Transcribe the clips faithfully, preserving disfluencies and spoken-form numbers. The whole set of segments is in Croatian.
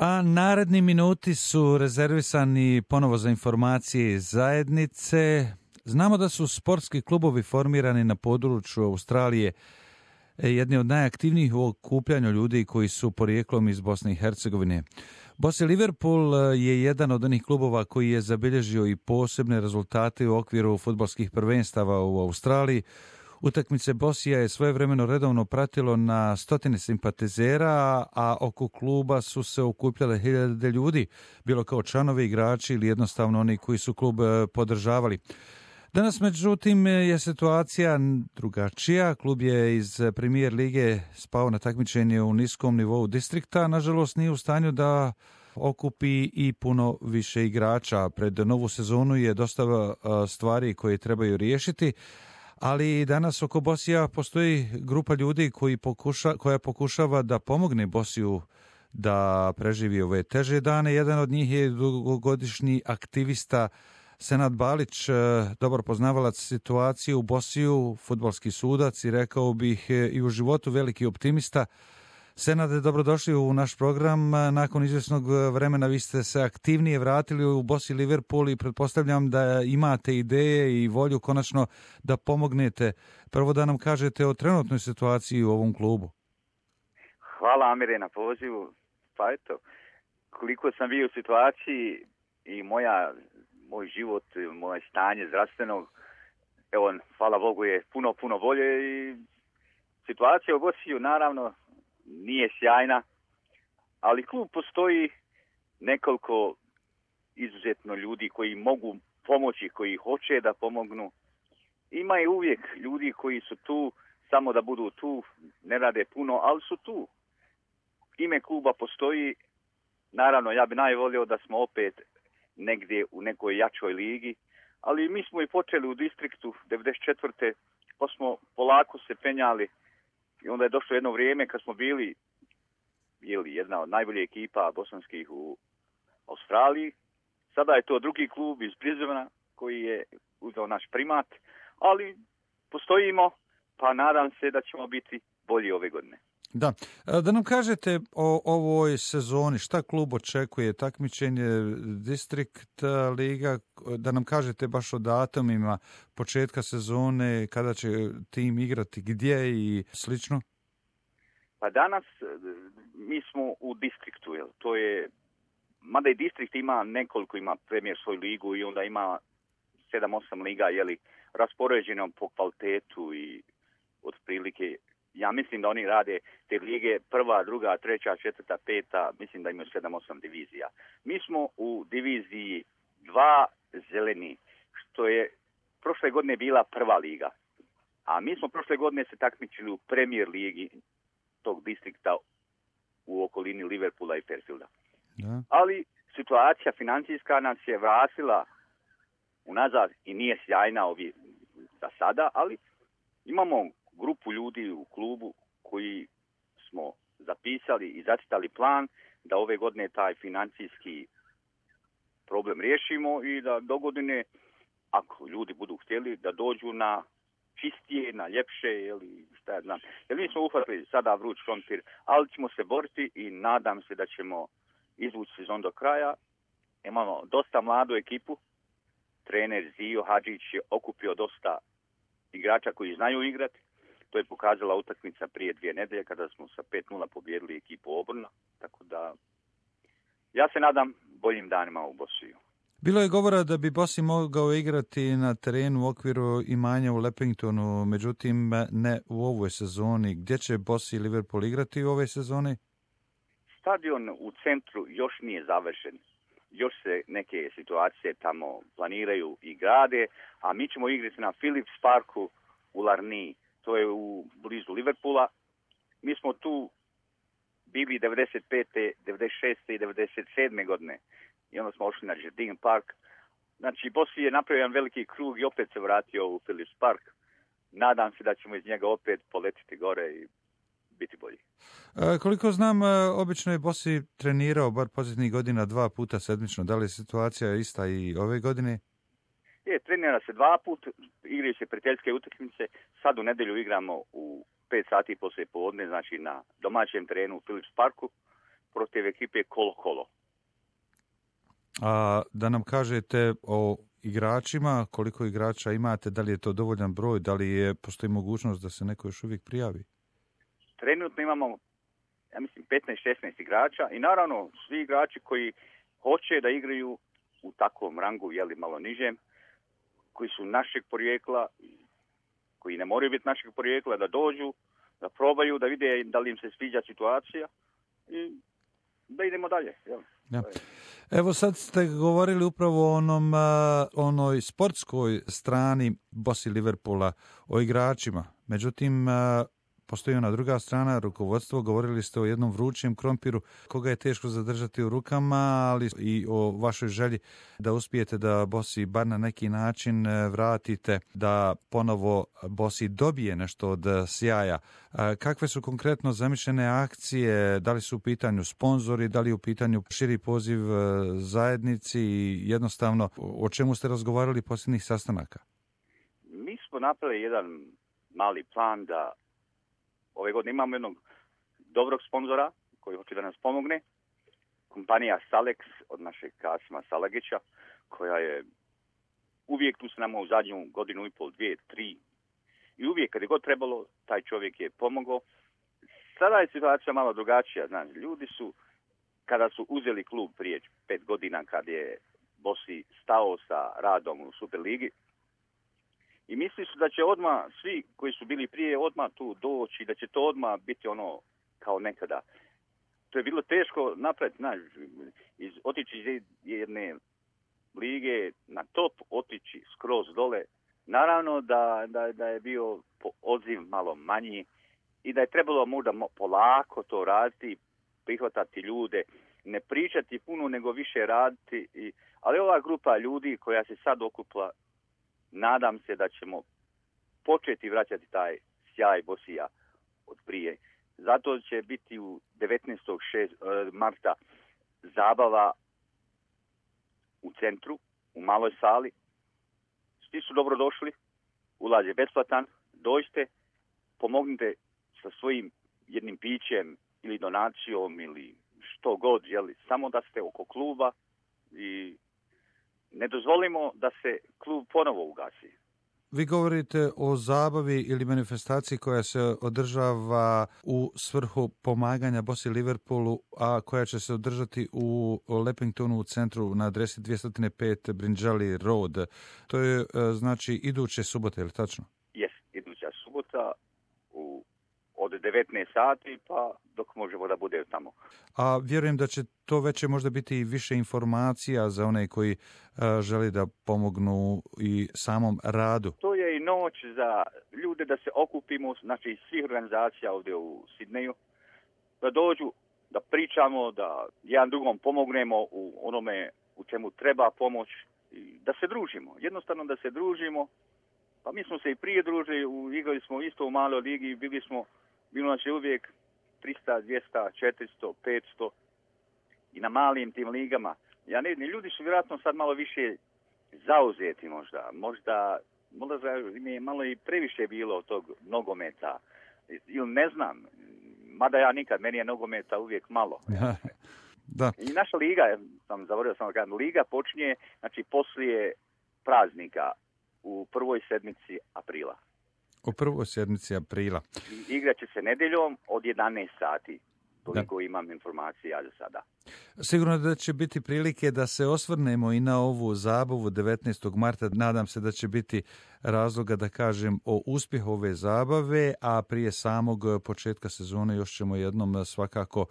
A naredni minuti su rezervisani ponovo za informacije iz zajednice. Znamo da su sportski klubovi formirani na području Australije jedni od najaktivnijih u okupljanju ljudi koji su porijeklom iz Bosne i Hercegovine. Bossy Liverpool je jedan od onih klubova koji je zabilježio i posebne rezultate u okviru fudbalskih prvenstava u Australiji. Utakmice Bossija je svojevremeno redovno pratilo na stotine simpatizera, a oko kluba su se okupljale hiljade ljudi, bilo kao članovi, igrači ili jednostavno oni koji su klub podržavali. Danas, međutim, je situacija drugačija. Klub je iz Premier lige spao na takmičenje u niskom nivou distrikta. Nažalost, nije u stanju da okupi i puno više igrača. Pred novu sezonu je dosta stvari koje trebaju riješiti, ali danas oko Bossija postoji grupa ljudi koji pokuša, koja pokušava da pomogne Bossiju da preživi ove teže dane. Jedan od njih je dugogodišnji aktivista Senad Balić, dobar poznavalac situacije u Bossiju, fudbalski sudac i rekao bih i u životu veliki optimista. Senade, dobrodošli u naš program. Nakon izvjesnog vremena vi ste se aktivnije vratili u Bossy Liverpool i pretpostavljam da imate ideje i volju konačno da pomognete. Prvo da nam kažete o trenutnoj situaciji u ovom klubu. Hvala, Amire, na pozivu. Pa eto, koliko sam bio u situaciji i moja, moj život, moje stanje zdravstvenog, evo, hvala Bogu, je puno, puno bolje i situacija u Bossiju, naravno, nije sjajna, ali klub postoji nekoliko izuzetno ljudi koji mogu pomoći, koji hoće da pomognu. Ima i uvijek ljudi koji su tu samo da budu tu, ne rade puno, ali su tu. Ime kluba postoji, naravno ja bi najvolio da smo opet negdje u nekoj jačoj ligi, ali mi smo i počeli u distriktu devedeset četvrte pa smo polako se penjali. I onda je došlo jedno vrijeme kad smo bili jeli, jedna od najboljih ekipa bosanskih u Australiji. Sada je to drugi klub iz Brisbanea koji je uzeo naš primat, ali postojimo, pa nadam se da ćemo biti bolji ove godine. Da, da nam kažete o ovoj sezoni, šta klub očekuje, takmičenje District liga, da nam kažete baš o datumima početka sezone, kada će tim igrati, gdje i slično? Pa danas mi smo u distriktu, jel? To je, mada i distrikt ima nekoliko, ima premijer svoju ligu i onda ima sedam osam liga, jeli, raspoređeno po kvalitetu i otprilike. Ja mislim da oni rade te lige prva, druga, treća, četvrta, peta, mislim da imaju sedam osam divizija. Mi smo u diviziji dva zeleni, što je prošle godine bila prva liga. A mi smo prošle godine se takmičili u Premier ligi tog distrikta u okolini Liverpoola i Fairfielda. Da. Ali situacija financijska nas je vratila unazad i nije sjajna ovi za sada, ali imamo grupu ljudi u klubu koji smo zapisali i zacitali plan da ove godine taj financijski problem riješimo i da do godine, ako ljudi budu htjeli, da dođu na čistije, na ljepše, ili šta ja znam. Jer mi smo uhvatili sada vruć krompir, ali ćemo se boriti i nadam se da ćemo izvući sezon do kraja. Imamo dosta mladu ekipu. Trener Zio Hadžić je okupio dosta igrača koji znaju igrati. To je pokazala utakmica prije dvije nedelje kada smo sa pet nula pobijedili ekipu Obrna. Tako da ja se nadam boljim danima u Bossiju. Bilo je govora da bi Bossy mogao igrati na terenu u okviru imanja u Leppingtonu, međutim ne u ovoj sezoni. Gdje će Bossy Liverpool igrati u ovoj sezoni? Stadion u centru još nije završen. Još se neke situacije tamo planiraju i grade, a mi ćemo igrati na Phillips Parku u Larniji. To je u blizu Liverpoola. Mi smo tu bili devedeset pete, devedeset šeste i devedeset sedme godine. I onda smo ošli na Jardine Park. Znači, Bossy je napravio jedan veliki krug i opet se vratio u Phillips Park. Nadam se da ćemo iz njega opet poletiti gore i biti bolji. E, koliko znam, obično je Bossy trenirao bar posljednjih godina dva puta sedmično. Da li je situacija ista i ove godine? Je, trenira se dva put, igraju se prijateljske utakmice. Sad u nedjelju igramo u pet sati poslije podne, znači na domaćem terenu u Phillips Parku. protiv ekipe Kolo-Kolo. A da nam kažete o igračima, koliko igrača imate, da li je to dovoljan broj, da li je, postoji mogućnost da se neko još uvijek prijavi? Trenutno imamo, ja mislim, petnaest šesnaest igrača i naravno svi igrači koji hoće da igraju u takvom rangu, jeli malo nižem, koji su našeg porijekla, koji ne moraju biti našeg porijekla, da dođu, da probaju, da vide da li im se sviđa situacija i da idemo dalje. Jel? Ja. Evo sad ste govorili upravo o onom, onoj sportskoj strani Bosi Liverpoola, o igračima. Međutim, postoji ona druga strana, rukovodstvo. Govorili ste o jednom vrućem krompiru koga je teško zadržati u rukama, ali i o vašoj želji da uspijete da Bosi bar na neki način vratite, da ponovo Bosi dobije nešto od sjaja. Kakve su konkretno zamišljene akcije? Da li su u pitanju sponzori, da li je u pitanju širi poziv zajednici i jednostavno o čemu ste razgovarali posljednjih sastanaka? Mi smo napravili jedan mali plan da ove godine imamo jednog dobrog sponzora koji hoće da nas pomogne. Kompanija Salex od našeg Kasima Salagića, koja je uvijek tu s nama u zadnju godinu i pol, dvije, tri. I uvijek kad je god trebalo, taj čovjek je pomogao. Sada je situacija malo drugačija. Znači, ljudi su, kada su uzeli klub prije pet godina, kad je Bosi stao sa radom u Superligi, i misli su da će odmah svi koji su bili prije odmah tu doći, da će to odmah biti ono kao nekada. To je bilo teško napraviti, znaš, iz, otići iz jedne lige na top, otići skroz dole. Naravno da, da, da je bio odziv malo manji i da je trebalo možda polako to raditi, prihvatati ljude, ne pričati puno nego više raditi. I, ali ova grupa ljudi koja se sad okupla, nadam se da ćemo početi vraćati taj sjaj Bosija od prije. Zato će biti u devetnaestog marta zabava u centru, u maloj sali. Svi su dobrodošli, ulaz je besplatan, dođite, pomognite sa svojim jednim pićem ili donacijom ili što god, jeli, samo da ste oko kluba i ne dozvolimo da se klub ponovo ugasi. Vi govorite o zabavi ili manifestaciji koja se održava u svrhu pomaganja Bosi Liverpoolu, a koja će se održati u Leppingtonu u centru na adresi dvjesto pet Brinjali Road. To je znači iduće subote, je li tačno? Jes, iduća subota u, od devetnaest sati pa dok možemo da bude tamo. A vjerujem da će to već možda biti i više informacija za one koji uh, želi da pomognu i samom radu. To je i noć za ljude da se okupimo, znači iz svih organizacija ovdje u Sidneju, da dođu, da pričamo, da jedan drugom pomognemo u onome u čemu treba pomoć, i da se družimo. Jednostavno da se družimo. Pa mi smo se i prije družili, igrali smo isto u maloj ligi, bili smo, bilo nas je uvijek trista, dvjesto, četiristo, petsto i na malim tim ligama. Ja ne, ljudi su vjerojatno sad malo više zauzeti možda. Možda, možda im je malo i previše bilo tog nogometa. Ili ne znam, mada ja nikad, meni je nogometa uvijek malo. Da. I naša liga, sam zaboravio sam da kažem, liga počinje, znači poslije praznika u prvoj sedmici aprila. U prvoj sedmici aprila. I igrat će se nedjeljom od jedanaest sati. Toliko da. Imam informacija za sada. Sigurno da će biti prilike da se osvrnemo i na ovu zabavu devetnaestog marta. Nadam se da će biti razloga da kažem o uspjehu ove zabave, a prije samog početka sezone još ćemo jednom svakako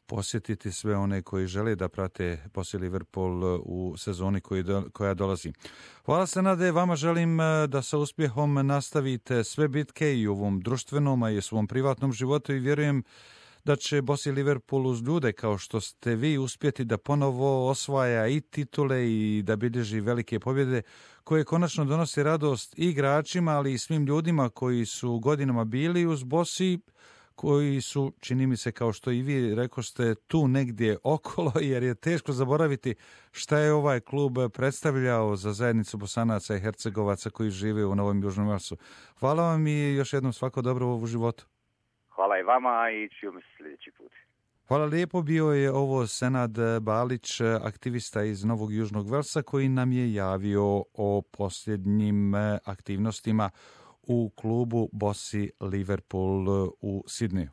posjetiti sve one koji žele da prate Bosi Liverpool u sezoni koji do, koja dolazi. Hvala se, Nade, vama želim da sa uspjehom nastavite sve bitke i u ovom društvenom, a i u svom privatnom životu i vjerujem da će Bosi Liverpool uz ljude kao što ste vi uspjeti da ponovo osvaja i titule i da bilježi velike pobjede koje konačno donose radost i igračima, ali i svim ljudima koji su godinama bili uz Bosi, koji su, čini mi se, kao što i vi rekoste, tu negdje okolo, jer je teško zaboraviti šta je ovaj klub predstavljao za zajednicu Bosanaca i Hercegovaca koji žive u Novom Južnom Velsu. Hvala vam i još jednom svako dobro u životu. Hvala i vama i čujemo se sljedeći put. Hvala lijepo, bio je ovo Senad Balić, aktivista iz Novog Južnog Velsa, koji nam je javio o posljednjim aktivnostima u klubu Bossy Liverpool u Sidneju.